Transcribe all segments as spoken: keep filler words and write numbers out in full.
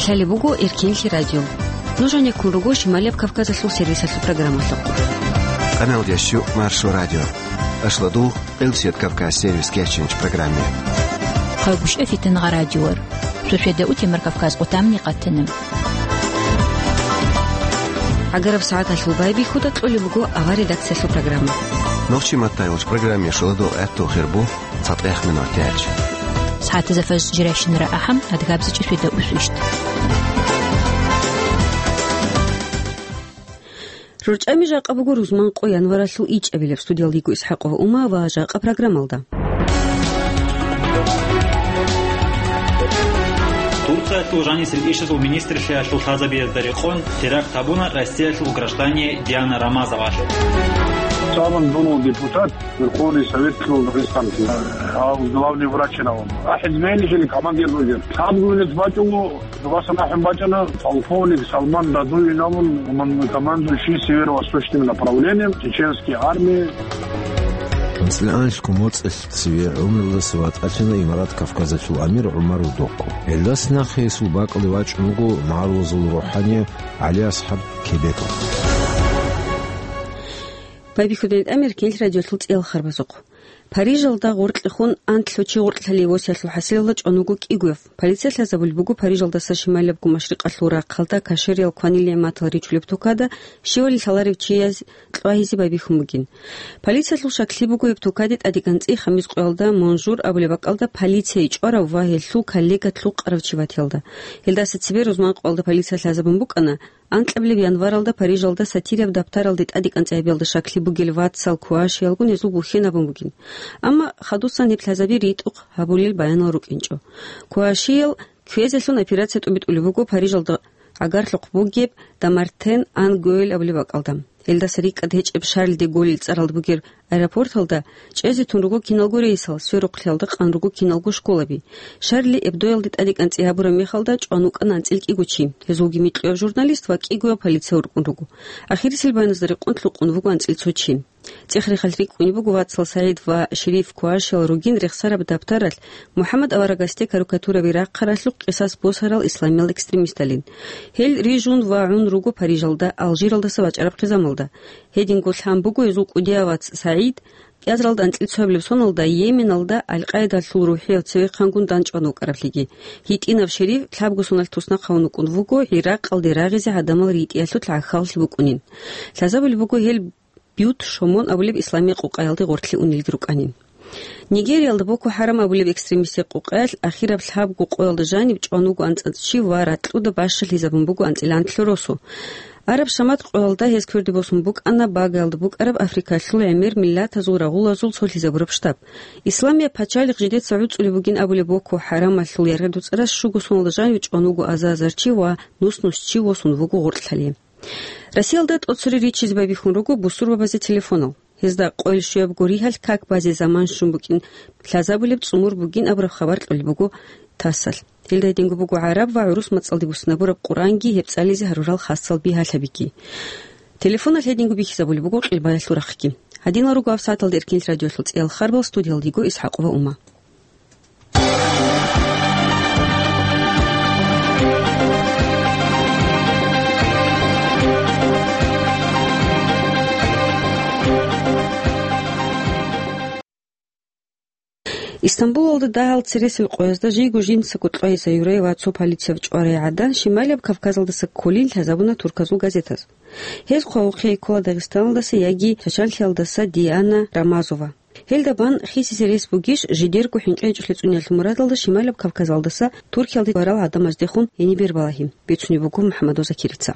Лъалеб буго Эркенлъи радио. Нуж гьанеккун руго Шималияб Кавказалъул сервисалъул программалъухъ. Къаналдящу Маршо радио. Ашладу Элсият Кавказ сервис кечинч программе. Хъагушев Фитнагъа радиор. Сушеда утемар Кавказ къутамни къатана. ГӀагараб сагӀаталъул байбихьуда кьолеб буго авар редакциялъул программа. Нохчи маттайулч программе шуладул гӀатту хирбу цатӀех минут яч. СагӀатаза фаз жиращинара ахӀам адгабзичӀи светда усвищт. РорчӀами жакъа буго рузман къо январалъул ичӀабилеб. Студиялдиго ИсхӀакъова Ума ва жакъа программалда. Турциялъул жанисел ишазул министрлъиялъул лъазабиязда рекъон теракт гьабуна Россиялъул граждане Диана Рамазовалъ. Самый был депутат Верховный Совет Дагестан, а главный врач на он. А хизмени жили командир вузер. Там говорит, батю, вас нахем бачана, полковник Салман Дадуи намун, командующий северо-восточным направлением чеченской армии. АнцӀила анлъго моцӀалъ цеве гӀумруялдаса ватӀалъана Имарат Кавказалъул амир ГӀумар Удохъо. Гьелдаса нахъе гьесул бакӀалде вачӀун вуго магӀарулазул рухӀани ГӀали-АсхӀаб Кебеков. Байбихьудин тӀамир кинл радиолъул цӀиял харбазухъ. Парижалда гъоркьехун анлъго чи гъоркьлъали восиялъул хӀасилалда чӀван вуго кӀигояв. Полиция лъазабулеб буго Парижалдаса шималиябго машрикъалъул рахъалда кашариял кванил-нигӀматал ричулеб тукада щивали лъаларев чияс кьвагьизе байбихьун бугин. Полициялъул шаклъи буго гьеб тукаде тӀадекӀанцӀи хамис къоялда Монжур абулеб бакӀалда полицияе чӀварав ва гьелъул коллега лъукъарав чи ватиялда. Гьелдаса цебе рузман къоялда полиция лъазабун букӀана, анкьабилеб январалда Парижалда сатирияб даптаралде тӀадекӀанцӀи гьабиялда шаклъи бугел вацал Куашиялгун гьезул бухьен абун бугин. Амма хадусан гьеб лъазаби ритӀухъ гьабулел баянал рукӀинчӀо. Куашиял кквезелъун операция тӀубитӀулеб буго Парижалда гӀагарлъухъ бугеб Дамартен ан Гоэль абулеб бакӀалда. Гьелдаса рикӀкӀад гьечӀеб Шарль де Голль цӀаралда бугеб аэропорталда чӀезе тун руго киналго рейсал, сверухълъиялда къан руго киналго школаби. Шарли Эбдоялде тӀадекӀанцӀи гьабураб мехалда чӀван вукӀана анцӀила кӀиго чи. Гьезулги микьуяв журналист ва кӀигояв полиция уркӀун руго. Ахирисел баяназда рекъон лъукъун вуго анцӀила цо чи. ЦӀех-рехалъ рикӀкӀунеб буго вацал СагӀид ва Шериф Куашиял ругин рехсараб даптаралъ МухӀаммад аварагасде карикатураби рахъаралъухъ къисас босарал исламиял экстремисталин. Гьел рижун ва гӀун руго Парижалда, Алжиралдаса вачӀараб хъизамалда. Гьединго лъан буго гьезул кӀудияв вац СагӀид, кӀиазаралда анцӀила цоабилеб соналда Йеменалда Аль-Къаидалъул рухӀияв цевехъангун данчӀван вукӀараблъиги. ГьитӀинав Шериф лъабго соналъ туснахъ гьавун вукӀун вуго, ГӀиракъалде рагъизе гьадамал ритӀиялъул гӀахьаллъи букӀунин. Лъазабулеб буго гьел Бют Шомон абулеб исламиял къукъаялде гъоркьлъи унелги рукӀанин. Нигериялда Боко Харам абулеб экстремистиял къукъаялъ ахираб лъабго къоялда жаниб чӀван вуго анцӀила чи ва ракьуда бащалъизабун буго анцӀила анлъго росу. Араб Шамат къоялда гьез кверде босун букӀана багаялда букӀараб Африкалъул гӀемер миллатазул рагъулазул цолъизабураб штаб. Исламияб пачалихъ жидеца гӀуцӀулеб бугин абулеб Боко Харамалъул яргъи-дуцӀарас щуго соналда жанив чӀван вуго азар-азар чи ва нус-нус чи восун вуго гъоркьлъали. Россиялда тӀоцере риччизе байбихьун руго бусурбабазе телефонал. Гьезда къойил щуябго ригьалъ как базе заман щун букӀин лъазабулеб цӀумур бугин абураб хабар кьолеб буго ТАССалъ. Гьелда гьединго буго гӀараб ва гӀурус мацӀалде буссинабураб Къуръанги гьеб цӀализе гьарурал хасал бигьалъабиги. Телефоналъ гьединго бихьизабулеб буго къилбаялъул рахъги. Гьадинал руго гьаб сагӀаталда Эркенлъи радиолъул цӀиял харбал, студиялдиго ИсхӀакъова Ума. Истамбулалда дагьал цересел къоязда жийго жинцаго кьвагьизе юрай ва цо полицияб чӀварай гӀадан Шималияб Кавказалдаса кколин лъазабуна турказул газетаз. Гьез хъвавухъе ккола Дагъистаналдаса яги Чачанлъиялдаса Диана Рамазова. Гьелда бан хисизе рес бугищ жидерго хӀинкъи-гьинкъиялъул мурадалда Шималаб Кавказалдаса Туркиялде варал гӀадамаздехун гьениб бер балагьи, бицунеб буго МухӀаммадов Закирица.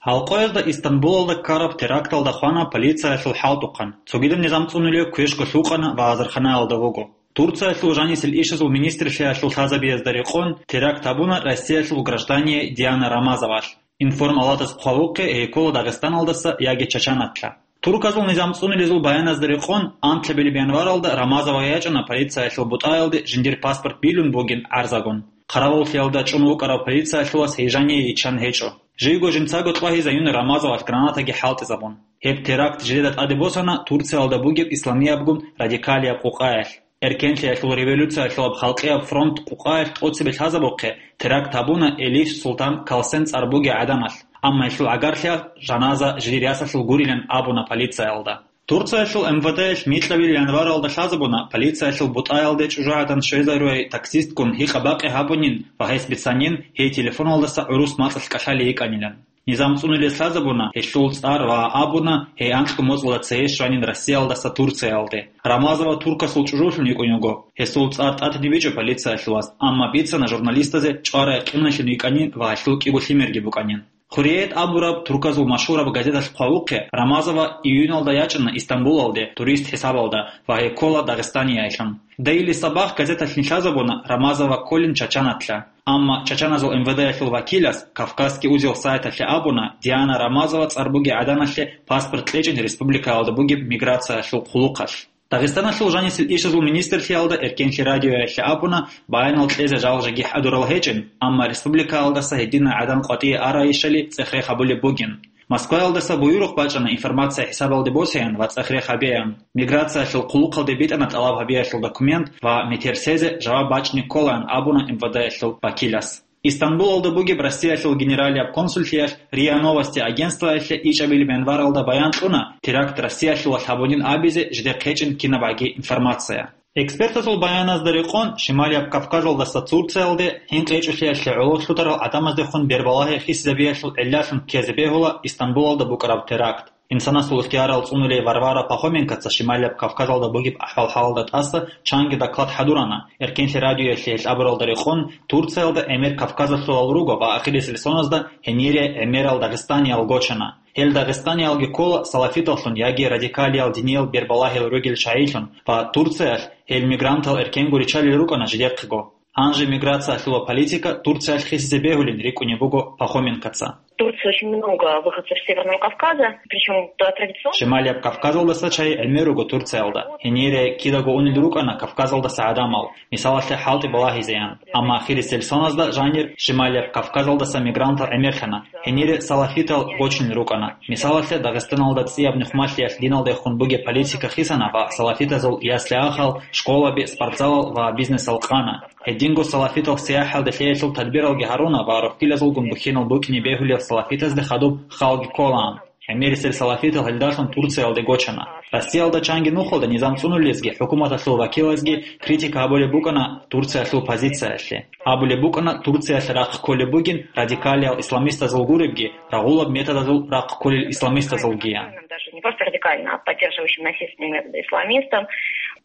Гьал къоязда Истамбулалда ккараб теракталда хвана полициялъул хӀалтӀухъан. Цогидаб низам цӀунулев квешго лъукъана ва азарханаялда вуго. Турциялъул жанисел ишазул министрлъиялъул лъазабиязда рекъон теракт гьабуна Россиялъул граждание Диана Рамазовалъ. Информ-Алатас хъвавухъе гьей ккола Дагъистаналдаса яги Чачаналъа. Турказул низам цӀунилезул баяназда рекъон, анкьабилеб январалда Рамазова ячӀана полициялъул бутӀаялде жиндир паспорт билун бугин гӀарзагун. Хъаравуллъиялда чӀун вукӀарав полициялъулас гьей жание йиччан гьечӀо. Жийго жинцаго кьвагьизаюна Рамазовалъ гранатаги хӀалтӀизабун. Гьеб теракт жидеда тӀаде босана Турциялда бугеб исламиябгун радикалияб къукъаялъ. Эркенлъиялъул революциялъулаб халкъияб фронт къукъаялъ тӀоцебе лъазабухъе теракт гьабуна Элиф Султан Калсен цӀар бугей гӀаданалъ, амма гьелъул гӀагарлъиялъ жаназа жидер ясалъул гурилан абуна полициялда. Турциялъул М В Д-ялъ микьабил январалда лъазабуна полициялъул бутӀаялде чӀужугӀадан щвезарурай таксистккун гьикъа-бакъи гьабунин ва гьес бицанин гьей телефоналдаса гӀурус мацӀалъ кӀалъалей йикӀанилан. Низам цӀунулез лъазабуна гьелъул цӀар ва абуна гьей анкьго моцӀалда цее щванин Россиялдаса Турциялде. Рамазова туркасул чӀужулъун йикӀун йиго. Гьесул цӀар тӀатиде бичӀо полициялъулас, амма бицана журналистазе чӀварай къимлалъун йикӀанин ва гьелъул кӀиго лъимерги букӀанин. Хурриет абураб турказул машгьураб газеталъ хъвавухъе, Рамазова июналда ячӀана Истамбулалде турист хӀисабалда ва гьей ккола Дагъистаниялъун. Дейли Сабах газеталъ лъазабуна Рамазова кколин Чачанатлъа. Амма чачаназул М В Д-ялъул вакилас Кавказский узел сайталъе абуна Диана Рамазова цӀар бугей гӀаданалъе паспорт кьечӀин республикаялда бугеб миграциялъул хъулухъалъ. Дагъистаналъул жанисел ишазул министрлъиялда Эркенлъи радиоялъе абуна баянал кьезе жал жеги хӀадурал гьечӀин, амма республикаялдаса гьединай гӀадан къватӀие арайищали цӀех-рех гьабулеб бугин. Москваялдаса буюрухъ бачӀана информация хӀисабалде босеян ва цӀех-рех гьабеян. Миграциялъул хъулухъалде битӀана тӀалаб гьабиялъул документ ва метер сезе жаваб бачӀине кколаан абуна М В Д-ялъул вакилас. Истамбулалда бугеб Россиялъул генералияб консуллъиялъ РИА Новости агентствоялъе ичӀабилеб январалда баян кьуна теракт Россиялъулалъ гьабунин абизе жидехъ гьечӀин кинабгӀаги информация. Экспертазул баяназда рекъон, Шималияб Кавказалдаса Турциялде гьинкъи гьечӀолъиялъе гӀоло лъутарал гӀадамаздехун бербалагьи хисизабиялъул гӀиллалъун ккезе бегьула Истамбулалда букӀараб теракт. Инсанасул ихтиярал цӀунулей Варвара Пахоменкоца Шималияб Кавказалда бугеб ахӀвал-хӀалалда тӀаса чанги доклад хӀадурана. Эркенлъи радиоялъе гьелъ абуралда рекъон, Турциялда гӀемер кавказалъулал руго ва ахирисел соназда гьенире гӀемерал дагъистаниял гочана. Гьел дагъистаниялги ккола салафиталлъун яги радикалиял диниял бербалагьил ругел чагӀилъун ва Турциялъ гьел мигрантал эркенго риччалел рукӀана жидехъего. Гьанже миграциялъула политика Турциялъ хисизе бегьулин рикӀкӀунеб буго Пахоменкоца. В Турции очень много выходцев с Северного Кавказа, причём традиционно. Шималияб Кавказалдаса чагӀи гӀемер руго Турциялда. Гьенире кидаго унел рукӀана Кавказалдаса гӀадамал, мисалалъе, хӀалтӀи балагьизеян. Амма ахирисел соназда жанир Шималияб Кавказалдаса мигрантал гӀемерлъана. Гьенире салафитал гочунел рукӀана. Мисалалъе, Дагъистаналда цӀияб нухмалъиялъ диналдехун бугеб политика хисана ва салафитазул ясли-ахал, школаби, спортзалал ва бизнесал къана. Гьединго салафитал сияхӀалде лъеялъул тадбиралги гьаруна ва рохьилазулгун бухьинал букӀине бегьулел салафитазде хадуб халги кколаан. ГӀемерисел салафитал гьелдалъун Турциялде гочана. Россиялда чанги нухалда низам цӀунулезги хӀукуматалъул вакилазги критика гьабулеб букӀана Турциялъул позициялъе. Абулеб букӀана, Турциялъ рахъ кколеб бугин радикалиял исламистазул гуребги, рагъулаб методазул рахъ кколел исламистазулгиян. Даже не просто радикально, а поддерживающим насильственные методы исламистам.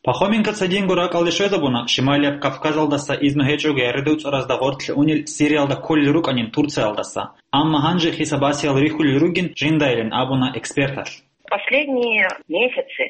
Пахоменкоца динго ракӀалде щвезабуна, Шималияб Кавказалдаса изну гьечӀого яридуцӀаразда гъоркье унел Сириялда кколел рукӀанин Турциялдаса. Амма гьанже хисабасиял рихьулел ругин жиндайилан абуна эксперталъ. Последние месяцы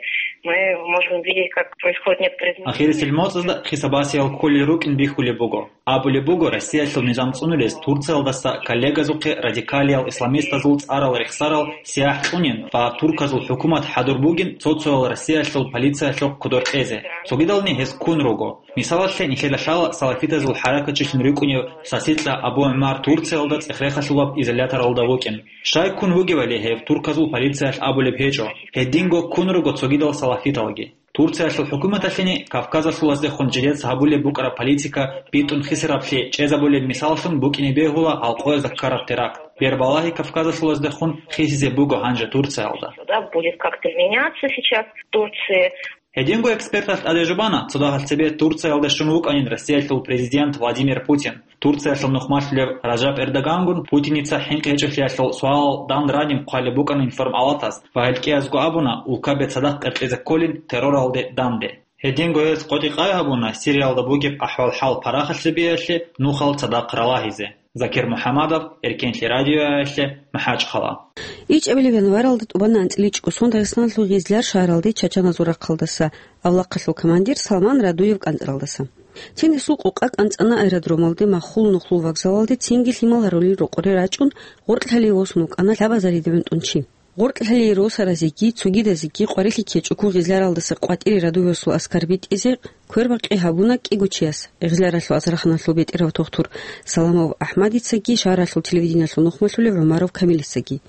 мы можем видеть, как происходит некоторые изменения. Ахирисел моцӀазда хисабасиял кколел рукӀин бихьулеб буго. Абулеб буго, Россиялъул низам цӀунулез Турциялдаса коллегазухъе радикалиял исламистазул цӀарал рехсарал сияхӀ кьунин ва турказул хӀукумат хӀадур бугин цо-цоял Россиялъул полициялъухъ кодор кьезе. Цогидални гьез ккун руго. Мисалалъе, нилъеда лъала салафитазул хӀаракатчилъун рикӀкӀунев Сасикьа Абу ГӀумар Турциялда цӀех-рехалъулаб изоляторалда вукӀин. Щай ккун вугевали гьев турказул полициялъ абулеб гьечӀо, гьединго ккун руго цогидал салафиталги. Турциялъул хӀукуматалъени Кавказалъулаздехун жидеца гьабулеб букӀараб политика битӀун хисараблъи чӀезабулеб мисаллъун букӀине бегьула гьалкъоязда ккараб теракт. Бербалагьи Кавказалъулаздехун хисизе буго гьанже Турциялда. Да, будет как-то меняться сейчас в Турции. Гьединго эксперталъ тӀаде жубана, цо дагьал цебе Турциялда щун вукӀанин Россиялъул президент Владимир Путин. Турциялъул нухмалъулев Ражаб Эрдогангун Путиница хӀинкъи гьечӀолъиялъул суалал дандраниб хъвалеб букӀанин формалатас ва гьел кӀиязго абуна, улкабе цадахъ кьеркьезе кколин терроралде данде. Гьединго гьез къотӀи-къай гьабуна Сириялда бугеб ахӀвал-хӀал парахалъе биялъе нухал цадахъ ралагьизе. Закир МухӀамадов, Эркенлъи радиоялъе, МахӀачхъала. ИчӀабилеб январалда тӀубан анцӀила чӀусон Дагъистаналъул Гъизляр шагьаралде чачаназул рахъалдаса авлахъалъул командир Салман Радуев кӀанцӀаралдаса. Цин гьесул къукъа кӀанцӀана аэродромалде, Махул нухлул вокзалалде цинги лъимал гьарулел рокъоре рачӀун, гъоркьлъалие восун вукӀана лъабазариде гӀунтӀун чи. Гъоркьлъалие росаразеги цогидазеги къварилъи ккечӀого Гъизляралдаса къватӀире Радуевасул аскар битӀизе квербакъи гьабуна кӀиго чияс, Гъизляралъул азарханалъул бетӀерав тухтур Саламов АхӀмадицаги шагьаралъул телевидениялъул нухмалъулев ГӀумаров Камилицаги.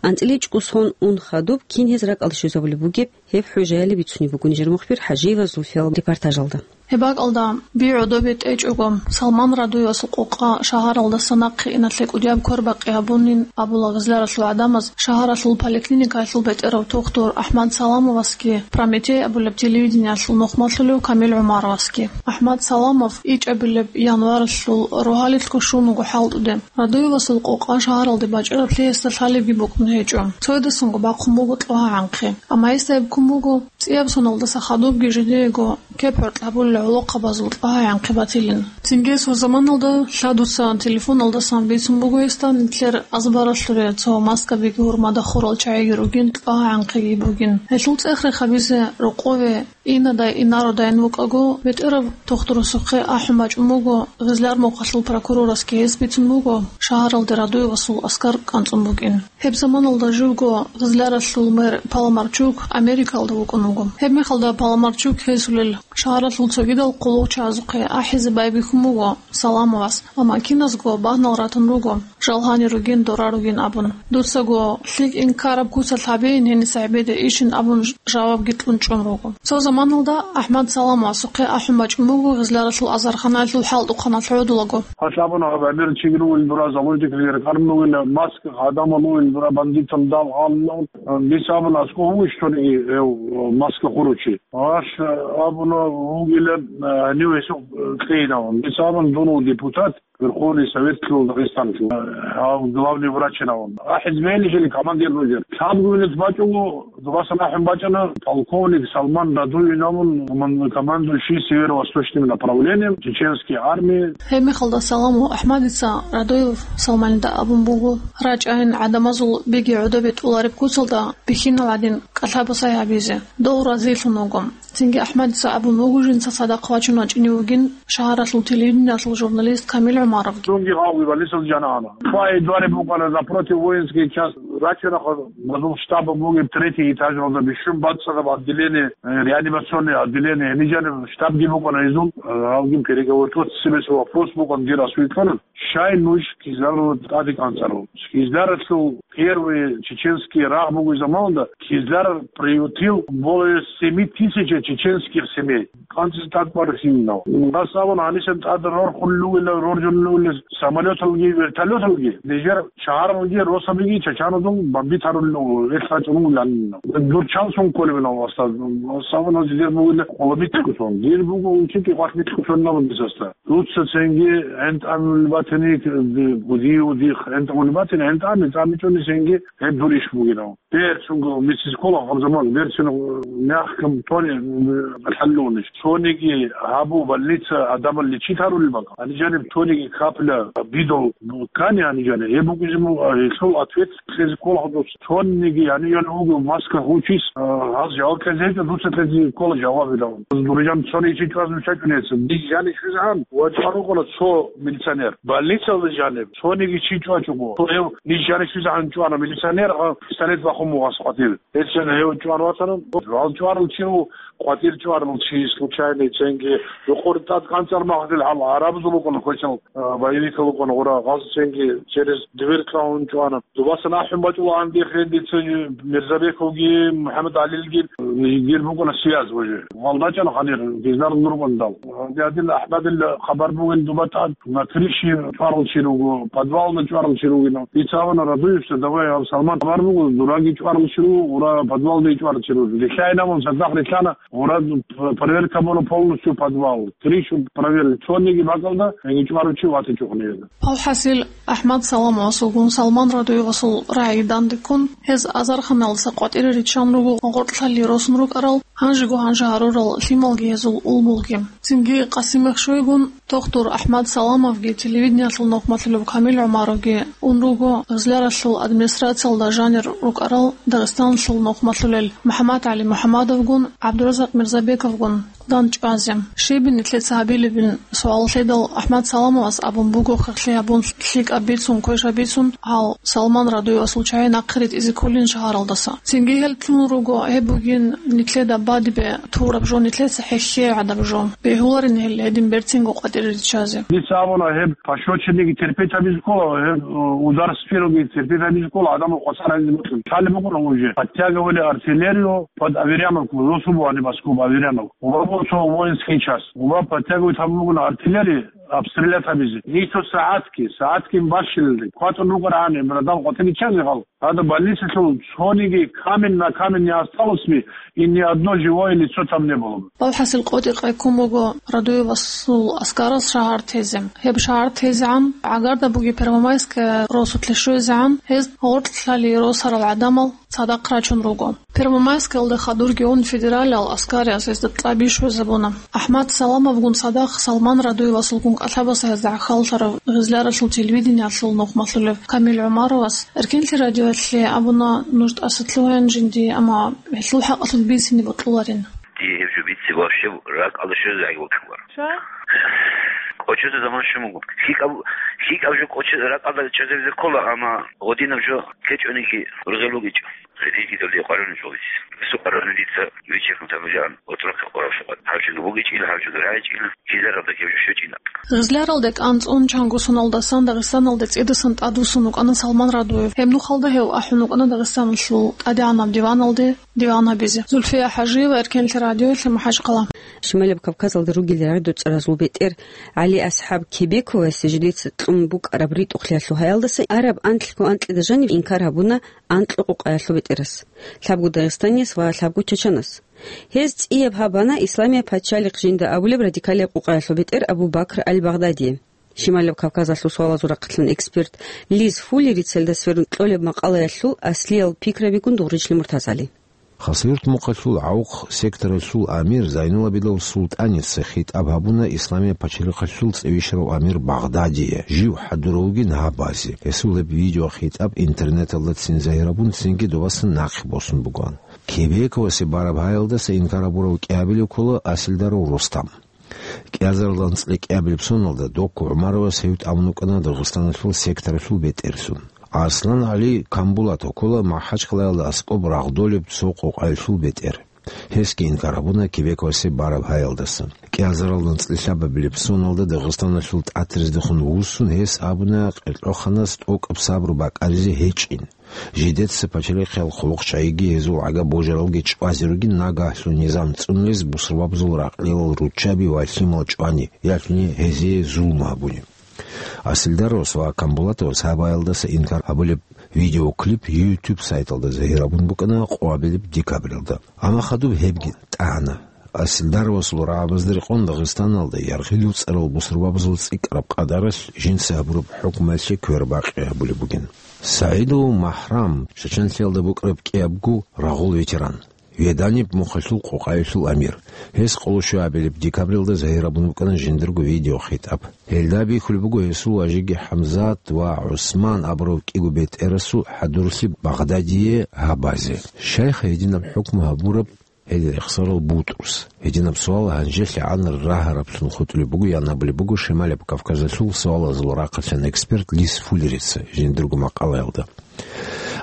АнцӀила чӀукӀусгъун ун хадуб кин гьез ракӀалде щвезабулеб бугеб, гьеб хӀужаялъе бицунеб буго нижер мухбир ХӀажиева Зульфиял репортажалда. Гьеб бакӀалда, би гӀодобе тӀечӀого, Салман Радуевасул къокъа шагьаралдаса нахъе иналъе кӀудияб квербакъи гьабунин абула Гъизляралъул гӀадамаз шагьаралъул поликлиникаялъул бетӀерав тухтур АхӀмад Саламовасги, Прометей абулеб телевидениялъул нухмалъулев Камил ГӀумаровасги. АхӀмад Саламов ичӀабилеб январалъул рогьалилъго щун вуго хӀалтӀуде. Радуевасул къокъа шагьаралде бачӀараб лъиялъ лъалебги букӀун гьечӀо. Цоядасанго бахъун буго кьогьагӀанхъе. Амма гьесда гьеб ккун буго, цӀияб соналдаса хадубги жидеего кеп-гьоркь гьабулел гӀолохъабазул кьогьагӀанхъе батилин. Цинги гьес гьеб заманалда лъадуца телефоналдасан бицун буго гьесда нилъер азбаралъуре цо маскабиги гьурмада хурал чагӀиги ругин, кьогьагӀанхъеги бугин. Гьелъул цӀех-рех гьабизе рокъове Инадай-инародайин вукӀаго, бетӀерав тухтурасухъе ахӀун бачӀун буго, Гъизляр мухъалъул прокурорасги гьес бицун буго, шагьаралде Радуевасул аскар кӀанцӀун букӀин. Гьеб заманалда живго Гъизляралъул мэр Паламарчук Америкалда вукӀун вуго. Гьеб мехалда Паламарчук гьесулел шагьаралъул цогидал хъулухъчагӀазухъе ахӀизе байбихьун буго Саламовас, амма киназго багьнал ратун руго. Жал гьанир ругин, дора ругин абун. Дуцаго лъикӀ инкараб куцалъ гьабейин гьениса гӀебеде ишин абун жавабги кьун чӀун руго. Цо заманалда АхӀмад Саламовасухъе ахӀун бачӀун буго Гъизляралъул азарханаялъул хӀалтӀухъаналъ гӀодулаго. Гьалъ абуна, гьаб гӀемер чигру вугин дура, заложниклъи рекъармун вугин, маска гьадамал вугин дура, бандитал дав гьалун. Дица абуна, аскӀов вугищ цониги гьев маска хурав чи? Гьалъ абуна, вугилан, гьанив гьесухъ кьейилан. Дица абуна, дун вуго депутат, Верховный Советлъул Дагъистанлъул, гьав главный врачинавун. АхӀизбелищали командир нужер. Лъабго минут бачӀуго, дубасан ахӀун бачӀана, полковник Салман Радуевин абун, коман-, командующий северо-восточным направлением чеченской армии. Гьеб мехалда Саламов АхӀмадица Радуев Салманида абун буго, рачӀайин гӀадамазул биги гӀодобе тӀолареб куцалда бихьинал гӀадин кӀалъабасай гьабизе. Дов разилъун вуго. Цинги АхӀмадица абун буго жинца цадахъ вачун вачӀинев вугин шагьаралъул телевидениялъул журналист Камил ГӀумаровги. Дунги гьавги больницалда жанагьана. Хвай дуареб букӀана напротив воинский часть, рачарахъа базул штаб бугеб третий этажалда бищун бацӀцӀадаб отделение, э, реанимационное отделение, гьениб жаниб штабги букӀана гьезул, э, гьавги переговорить, вот себе свой вопрос букӀана, дир асуй ккана. Щай нуж Кизляралда тӀаде кӀанцӀарав? Кизляралъул первый чеченский рагъ бугеб заманалда Кизляр приютил более семи тысяч чеченских семей. КӀанцӀизе тӀад барасинав. Гьас абуна, гьанисен тӀад рорхулел ругела, роржулел ругела самолеталги, вертолеталги. Нижер шагьаралги, росабиги чачаназул бомбить гьарулел руго, ил гьачӀун вугилан. Дур чан сон кколеб ин, устаз? Гьас абуна, дир бугила къоло битӀикӀун сон. Дир буго унчи кӀикъвалъ битӀикӀун сон абун дисаста. Дуца цинги гӀинтӀамил батани, гуди-, гудих гӀинтӀамил батани, гӀинтӀами, тӀамичӀони цинги гьеб дур иш бугинав. Берцинго медицинскола гьаб заман, берцинго мягком тоне, э, хӀаллунищ. Цониги гьабу больница адамал лечить гьарулел бакӀ. Гьаниб жаниб цониги капля, бидол, ккани гьаниб жаниб. Гьеб бугизму, э, гьелъул ответ кьезе ккола гьадус. Цониги гьаниб жаниб вуго маска гьучис, э, гьаз жаваб кьезе гьечӀо, дуца кьезе ккола жаваб гьелъул. Дуржан цони чи чӀваз нуша чӀунеца. Диж жаниб щвезегӀан ва чӀварукъуна цо милиционер. Больницалда жаниб цониги чи чӀвачӀого. Цо гьев ниж жаниб щвезегӀан чӀвана милиционер, а пистолет бахун буго гьас къватӀибе. Гьесен гьев чӀван ватана. Гьал чӀварал чи ву, къватӀир чӀварал чи случайный цинги. Жукъур тӀад кӀанцӀар махъдил гьал арабазул букӀана квешал, а, боевикал букӀана гъура. Гьаз цинги через дверь кьавун чӀвана. Дубасан ахӀун бачӀула гьанде хендица Мирзабековги, МухӀаммад ГӀалилги, дир букӀана связь уже. Гьал рачӀана гьанир, Гъизлярал рукӀандал. Гьанде гьадин АхӀмадил хабар бугин дуба тӀад, на крыше чӀварал чи руго, подвалда чӀварал чи ругин. Дица абуна Радуевица, давай, гьав Салман хабар буго, дураги чӀварал чи руго, гъура подвалда чӀварал чи руго. Рилълъайин абун цадахъ рилълъана, гъура проверка буна полностью подвал. Крышу проверили, цониги бакӀалда, яги чӀварав чи ватичӀо гьанир. АлхӀасил, АхӀмад Саламовасулгун Салман Радуевасул рагӀи данде ккун, гьез азарханалдаса къватӀире риччан руго гъоркьлъали росун рукӀарал, гьанжего-гьанже гьарурал лъималги гьезул улбулги. Цинги Къасимех щвейгун, тухтур АхӀмад Саламовги телевидениялъул нухмалъулев Камил ГӀумаровги ун руго Гъизляралъул администрациялда жанир рукӀарал Дагъистаналъул нухмалъулел МухӀаммад ГӀали МухӀаммадовгун, ГӀабдуразакъ Мирзабековгун. дандчӀвазе. Щибин нилъеца гьабилебин суал лъедал, АхӀмад Саламовас абун буго, хехлъи гьабун, лъикӀаб бицун, квешаб бицун, гьал Салман Радуевасул чагӀи нахъе ритӀизе кколин шагьаралдаса. Цинги гьел лъун руго, гьеб бугин нилъеда бадибе тураб жо, нилъеца хӀехье гӀадаб жо. Бегьуларин гьел гьедин берцинго къватӀире риччазе. Дица абуна, гьеб пощечинниги терпеть гьабизе ккола, гьеб, э, удар с первого терпеть гьабизе ккола, гӀадамал къвасар гьабизе бокьун. Лъалеб букӀуна уже. Подтягивали артиллерию под Аверьяновку, росу бугьаниб аскоб Аверьяновку. Ва буго цо воинский часть. Ва подтягивать гьабун бугони артиллерия обстрелять гьабизе. Нилъго сагӀатги, сагӀатги бащинаб. КватӀун рукӀарагӀан, гӀадамал къватӀире риччазе гьал. Гьадаб больницалъул цониги камень на камень не осталось бы, и ни одно живое лицо там не было бы. Алхасил къотӀи къайккун буго Радуевасул аскарас шагьар тезе. Гьеб шагьар тезегӀан, гӀагарда буги Первомайская росулъе щвезегӀан, гьез гъоркьлъали росарал гӀадамал цадахъ рачун руго. Первомайскаялда хадурги ун федералиал аскариялъ гьезда тӀаби щвезабуна. АхӀмад Саламовгун цадахъ Салман Радуевасулгун кӀалъабаса гьезда гӀахьаллъарав Гъизляралъул телевидениялъул нухмалъулев Камил ГӀумаровас Эркенлъи радиоялъе абуна, нуж тӀаса лъугьаян жинди, амма гьелъул хӀакъалъулъ бицине бокьуларин. Дие гьеб жо бице вообще ракӀалда щвезегӀан вукӀуна. Ша? КӀочезе заман щун буго. ЛъикӀаб, лъикӀаб жо кӀоче-, ракӀалда чӀезабизе ккола, амма гьединаб жо ккечӀониги рузел бугечӀо. Гьединги дов къваригӀун чӀолис. Сукъарани дица вичерхъун тамилан отрок къварав сукъа. Гьав чӀун бугечӀила, гьав чӀун рагӀичӀила, кизаралда ккев жо щвечӀила. Гъизляралде кӀанцӀун чанго соналдасан Дагъистаналде цӀидасан тӀадвуссун вукӀана Салман Радуев. Гьеб нухалда гьев ахӀун вукӀана Дагъистаналъул тӀадегӀанаб диваналде диван гьабизе. Зульфия ХӀажиева, Эркенлъи радиоялъе, МахӀачхъала. Шималаб Кавказалда ругел рагӀи-доцӀаразул бетӀер ГӀали-АсхӀаб Кебековасе жидеца кьун букӀараб ритӀухълъиялъул гьаялдаса араб анлъго анкьида жанив инкар гьабуна анкьго къукъаялъул бетӀерас, лъабго дагъистанияс ва лъабго чачанас. Гьез цӀияб гьабана Исламияб пачалихъ жинда абулеб радикалияб къукъаялъул бетӀер Абу Бакр аль-Багъдадие. Шималаб Кавказалъул суалазул рахъалъан эксперт Лиз Фуллерица гьелдаса сверун кьолеб макъалаялъул аслиял пикрабигун дугъричлъи МуртазгӀали. Хасавюрт мухъалъул ГӀавухъ секторалъул амир Зайнулабидов Султаница хитӀаб гьабуна Исламияб пачалихъалъул цӀивищарав амир Багъдадие, жив хӀадурав вугин гьабазе. Гьесул гьеб видеохитӀаб интернеталда цин загьирабун, цинги добасан нахъе босун бугоан. Кебековасе бараб гьаялдаса инкар гьабурав кӀиабилев ккола Асилдаров Рустам. КӀиазарилан анцӀила кӀиабилеб соналда Доку ГӀумаровас гьев тӀамун вукӀана Дагъистаналъул секторалъул бетӀерасул. Арслан-ГӀали Камбулатов ккола МахӀачхъалаялда аскӀоб рагъдолеб цо къукъаялъул бетӀер. Гьесги инкар гьабуна Кебековасе бараб гьаялдаса. КӀиазарилан анцӀила лъабабилеб соналда Дагъистаналъул ТӀатрездехун вуссун, гьес абуна къеркьоханас тӀокӀаб сабру бакӀаризе гьечӀин. Жидеца пачалихъал хъулухъчагӀиги гьезул гӀага божаралги чӀвазе ругин, нагагьлъун низам цӀунулез бусурбабазул ракьлилал руччаби ва лъимал чӀвани, ялъуни гьезие зулму гьабуни. Асилдаровас ва Камбулатовас гьаб гьаялдаса инкар гьабулеб видеоклип YouTube сайталда загьирабун букӀана къоабилеб декабралда. Амма хадуб гьебги тӀагӀана. Асилдаровасул рагӀабазда рекъон Дагъистаналда яргъил цӀарал бусурбабазул цӀикӀкӀараб къадаралъ жинца гьабураб хӀукмуялъе квербакъи гьабулеб бугин. СагӀидов МахӀрам, Чачанлъиялда букӀараб кӀиябго рагъул ветеран, Веданиб мухъалъул къукъаялъул амир. Гьес къоло щуабилеб декабралда загьирабун букӀана жиндирго видеохитӀаб. Гьелда бихьулеб буго гьесул важиги ХӀамзат ва ГӀусман абурав кӀиго бетӀерасул хӀадурлъи Багъдадие гьабазе. Щайха гьединаб хӀукму гьабураб гьел рехсарал БутӀрус? Гьединаб суал гьанжелъагӀан рагьараблъун хутӀулеб буго, ян абулеб буго Шималаб Кавказалъул суалазул рахъалъан эксперт Лиз Фуллерица жиндирго макъалаялда.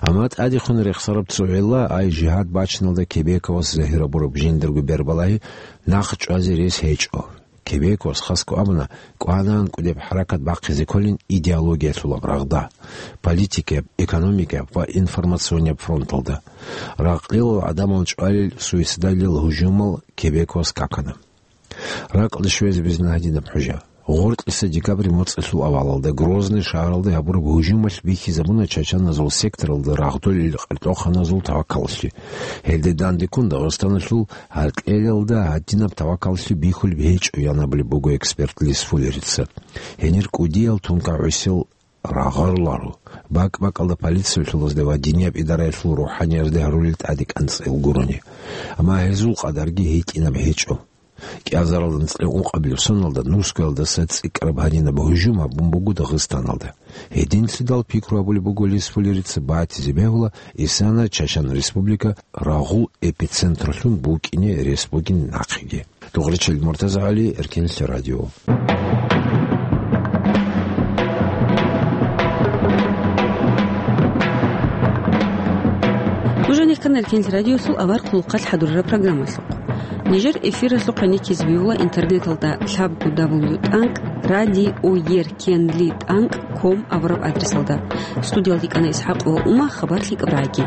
Амма тӀадехун рехсараб цо гӀилла, ай жигьад бачиналда Кебековас загьирабураб жиндирго бербалагьи нахъ чӀвазе рес гьечӀо. Кебековас хасго абуна, кӀванан кӀудеб хӀаракат бахъизе кколин идеологиялъулаб рагъда, политикияб, экономикияб ва информационияб фронталда. Ракьилал гӀадамал чӀвалел суицидалил гьужумал Кебековас какана. Ракьалде щвезе бегьула гьадинаб хӀужа. Гъоркьиса декабрь моцӀалъул авалалда Грозный шагьаралде гьабураб гьужумалъ бихьизабуна чачаназул секторалда рагъдолел къеркьоханазул тавакалалъе. Гьелде дандеккун Дагъистаналъул гьаркьелалда гьадинаб тавакалалъе бихьулеб гьечӀо, ян абулеб буго эксперт Лиз Фуллерица. Гьенир кӀудиял тункагӀусел рагъаруларо. БакӀ-бакӀалда полициялъулазда ва динияб идараялъул рухӀаниязда гьарулел тӀаде кӀанцӀил гурони. Амма гьезул къадарги гьитӀинаб гьечӀо. КӀиазаралда анцӀила ункъабилеб соналда Нускоялдаса цӀикӀкӀараб гьадинаб гьужум гьабун буго Дагъистаналда. Гьединлъидал пикру гьабулеб буго Лиз Фуллерица, батизе бегьула исана Чачан Республика рагъул эпицентралъун букӀине рес бугин нахъеги. Дугъричил МуртазагӀали, Эркенлъи радио. Нуж гьанихъан Эркенлъи радиолъул авар хъулухъалъ хӀадурараб программалъухъ. Нижер эфиралъухъ гьаниккизе бегьула интернеталда лъабго дабл ю тӀанкӀ радио еркенли тӀанкӀ ком абураб адресалда. Студиялде кӀана ИсхӀакъ ва Ума, хабар лъикӀаб рагӀи.